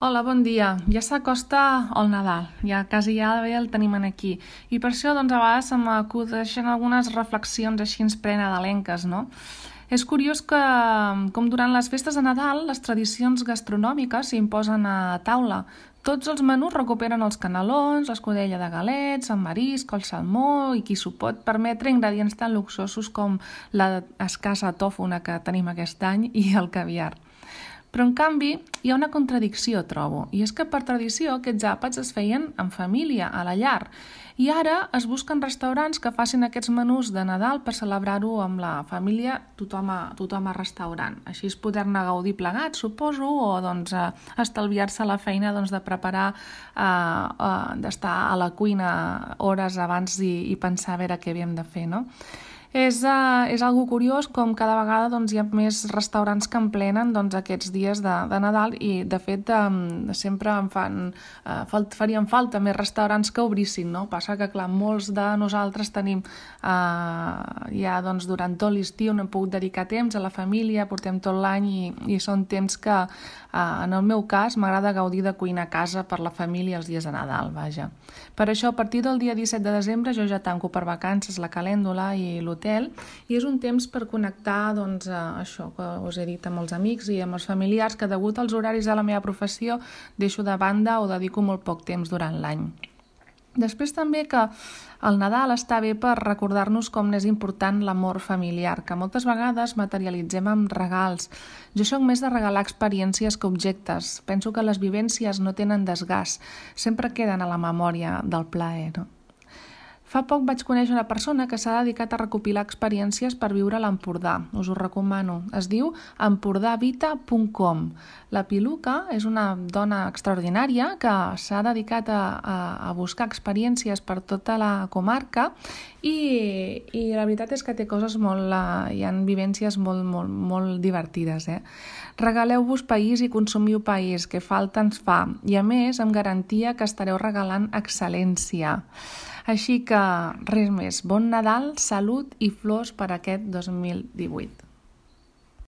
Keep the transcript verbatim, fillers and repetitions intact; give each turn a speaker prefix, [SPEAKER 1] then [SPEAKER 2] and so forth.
[SPEAKER 1] Hola, bon dia. Ja s'acosta el Nadal, ja quasi ja bé el tenim aquí. I per això, doncs, a vegades se m'acudeixen algunes reflexions així prenadalenques, no? És curiós que, com durant les festes de Nadal, les tradicions gastronòmiques s'imposen a taula. Tots els menús recuperen els canelons, l'escudella de galets, el marisc, el salmó i qui s'ho pot permetre ingredients tan luxosos com la escassa tòfona que tenim aquest any i el caviar. Però, en canvi, hi ha una contradicció, trobo, i és que per tradició aquests àpats es feien en família, a la llar, i ara es busquen restaurants que facin aquests menús de Nadal per celebrar-ho amb la família, tothom a, tothom a restaurant. Així és poder-ne gaudir plegats, suposo, o doncs, eh, estalviar-se la feina doncs, de preparar, eh, eh, d'estar a la cuina hores abans i, i pensar a veure què havíem de fer, no? És, uh, és algo curiós com cada vegada doncs, hi ha més restaurants que emplenen doncs, aquests dies de, de Nadal i de fet um, sempre em fan, uh, falt, farien falta més restaurants que obrissin, no? Passa que clar, molts de nosaltres tenim uh, ja doncs, durant tot l'estiu no hem pogut dedicar temps a la família, portem tot l'any i, i són temps que uh, en el meu cas m'agrada gaudir de cuinar a casa per la família els dies de Nadal, vaja. Per això a partir del dia disset de desembre jo ja tanco per vacances la calèndula i l'hotel i és un temps per connectar doncs, això que us he dit amb els amics i amb els familiars que degut als horaris de la meva professió deixo de banda o dedico molt poc temps durant l'any. Després també que el Nadal està bé per recordar-nos com n'és important l'amor familiar, que moltes vegades materialitzem amb regals. Jo soc més de regalar experiències que objectes. Penso que les vivències no tenen desgast, sempre queden a la memòria del plaer, no? Fa poc vaig conèixer una persona que s'ha dedicat a recopilar experiències per viure a l'Empordà. Us ho recomano. Es diu empordavita punt com. La Piluca és una dona extraordinària que s'ha dedicat a, a, a buscar experiències per tota la comarca i, i la veritat és que té coses molt... hi ha vivències molt, molt, molt divertides. Eh? Regaleu-vos país i consumiu país, que falta ens fa. I a més, amb garantia que estareu regalant excel·lència. Així que res més, bon Nadal, salut i flors per aquest dos mil divuit.